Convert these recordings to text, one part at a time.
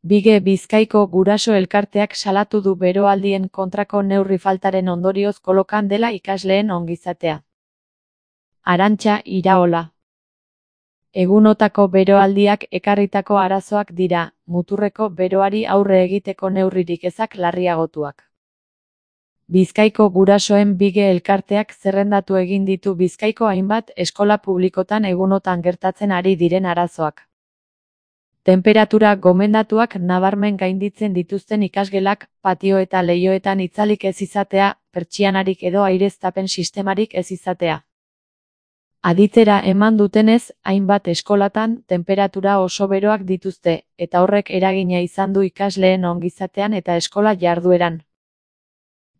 Bige Bizkaiko Guraso Elkarteak salatu du beroaldien kontrako neurri faltaren ondorioz kolokan dela ikasleen ongizatea. Arantxa Iraola. Egunotako beroaldiak ekarritako arazoak dira, muturreko beroari aurre egiteko neurririk ezak larriagotuak. Bizkaiko gurasoen Bige Elkarteak zerrendatu egin ditu Bizkaiko hainbat eskola publikotan egunotan gertatzen ari diren arazoak. Tenperatura gomendatuak nabarmen gainditzen dituzten ikasgelak, patio eta leihoetan itzalik ez izatea, pertsianarik edo aireztapen sistemarik ez izatea. Aditzera eman dutenez, hainbat eskolatan tenperatura oso beroak dituzte, eta horrek eragina izan du ikasleen ongizatean eta eskola jardueran.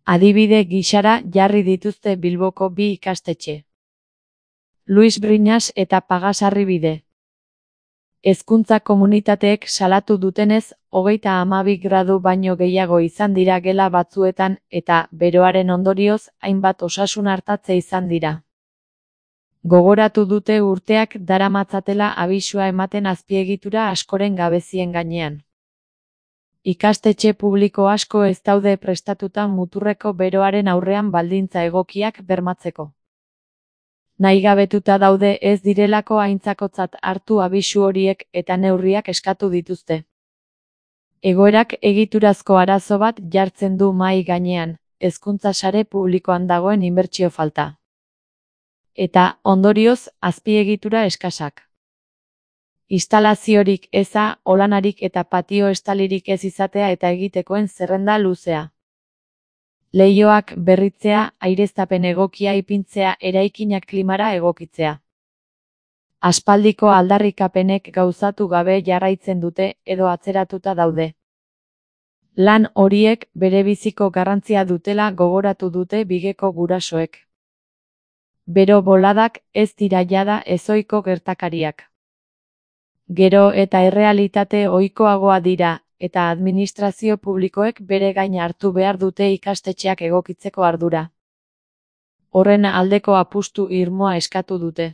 Adibide gisara jarri dituzte Bilboko bi ikastetxe. Luis Briñas eta Pagasarribide. Hezkuntza komunitateek salatu dutenez, 32 gradu baino gehiago izan dira gela batzuetan, eta beroaren ondorioz, hainbat osasun artatze izan dira. Gogoratu dute urteak daramatzatela abisua ematen azpiegitura askoren gabezien gainean. Ikastetxe publiko asko ez daude prestatuta muturreko beroaren aurrean baldintza egokiak bermatzeko. Nahigabetuta daude ez direlako aintzakotzat hartu abisu horiek eta neurriak eskatu dituzte. Egoerak egiturazko arazo bat jartzen du mahai gainean, hezkuntza sare publikoan dagoen inbertsio falta. Eta, ondorioz, azpiegitura eskasak. Instalaziorik eza, olanarik eta patio estalirik ez izatea eta egitekoen zerrenda luzea. Leihoak berritzea, aireztapen egokia ipintzea, eraikinak klimara egokitzea. Aspaldiko aldarrikapenek gauzatu gabe jarraitzen dute edo atzeratuta daude. Lan horiek berebiziko garrantzia dutela gogoratu dute Bigeko gurasoek. Bero boladak ez dira jada ezohiko gertakariak. Gero eta errealitate ohikoagoa dira, eta administrazio publikoek bere gain hartu behar dute ikastetxeak egokitzeko ardura. Horren aldeko apustu irmoa eskatu dute.